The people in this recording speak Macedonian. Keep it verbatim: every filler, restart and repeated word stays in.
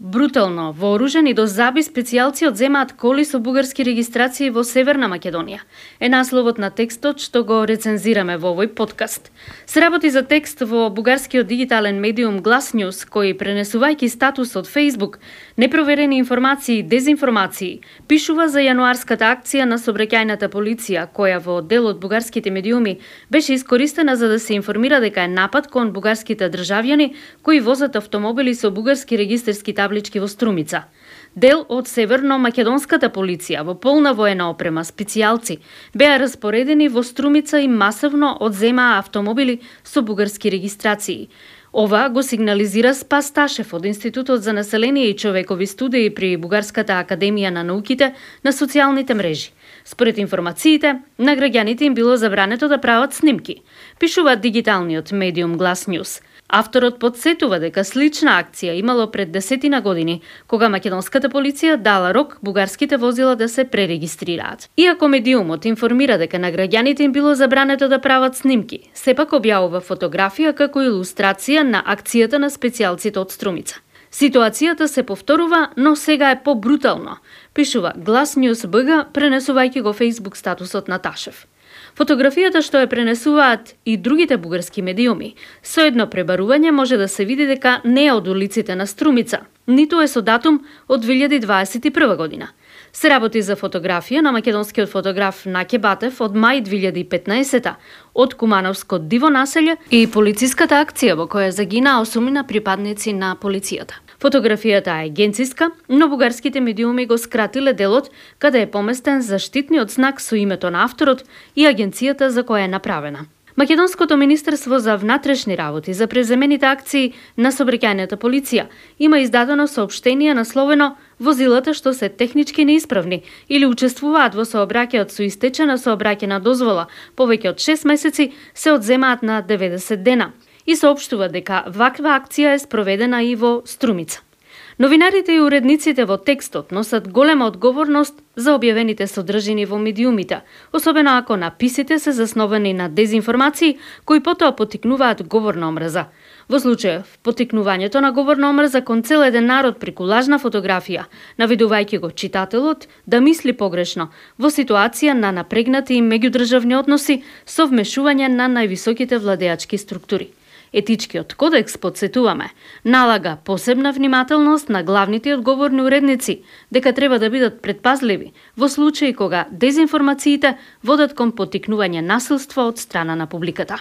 Брутално вооружени до заби специјалци одземаат коли со бугарски регистрации во Северна Македонија. Е насловот на текстот што го рецензираме во овој подкаст. Се работи за текст во бугарскиот дигитален медиум Глас Ньюс, кој пренесувајќи статус од Facebook, непроверени информации и дезинформации, пишува за јануарската акција на сообраќајната полиција, која во дел од бугарските медиуми беше искористена за да се информира дека е напад кон бугарските државјани кои возат автомобили со бугарски регистерски таблички во Струмица. Дел од северно-македонската полиција во полна воена опрема специјалци беа распоредени во Струмица и масовно одземаа автомобили со бугарски регистрации. Ова го сигнализира Спас Ташев од Институтот за население и човекови студии при Бугарската академија на науките на социјалните мрежи. Според информациите, на граѓаните им било забрането да прават снимки, пишува дигиталниот медиум Глас Ньюс. Авторот подсетува дека слична акција имало пред десетина години, кога македонската полиција дала рок бугарските возила да се пререгистрираат. Иако медиумот информира дека на граѓаните им било забрането да прават снимки, сепак објавува фотографија како илустрација на акцијата на специјалците од Струмица. Ситуацијата се повторува, но сега е побрутално, пишува Глас Ньюс БГ, пренесувајќи го Facebook статусот на Ташев. Фотографијата што ја пренесуваат и другите бугарски медиуми, со едно пребарување може да се види дека не е од улиците на Струмица, ниту е со датум од две илјади дваесет и прва година. Се работи за фотографија на македонскиот фотограф Наке Батев од мај две илјади и петнаесета од Кумановско диво населје и полициската акција во која загинаа осумина припадници на полицијата. Фотографијата е агенциска, но бугарските медиуми го скратиле делот каде е поместен заштитниот знак со името на авторот и агенцијата за која е направена. Македонското министерство за внатрешни работи за преземените акции на сообраќајната полиција има издадено соопштение насловено «Возилата што се технички неисправни или учествуваат во сообраќајот со истечена сообраќајна дозвола повеќе од шест месеци се одземаат на деветдесет дена» и соопштува дека ваква акција е спроведена и во Струмица. Новинарите и уредниците во текстот носат голема одговорност за објавените содржини во медиумите, особено ако написите се засновани на дезинформации кои потоа поттикнуваат говорна омрза. Во случајов, поттикнувањето на говорна омрза кон цел еден народ преку лажна фотографија, наведувајќи го читателот да мисли погрешно во ситуација на напрегнати и меѓудржавни односи со вмешување на највисоките владеачки структури. Етичкиот кодекс, подсетуваме, налага посебна внимателност на главните и одговорни уредници дека треба да бидат предпазливи во случаи кога дезинформациите водат кон поттикнување насилство од страна на публиката.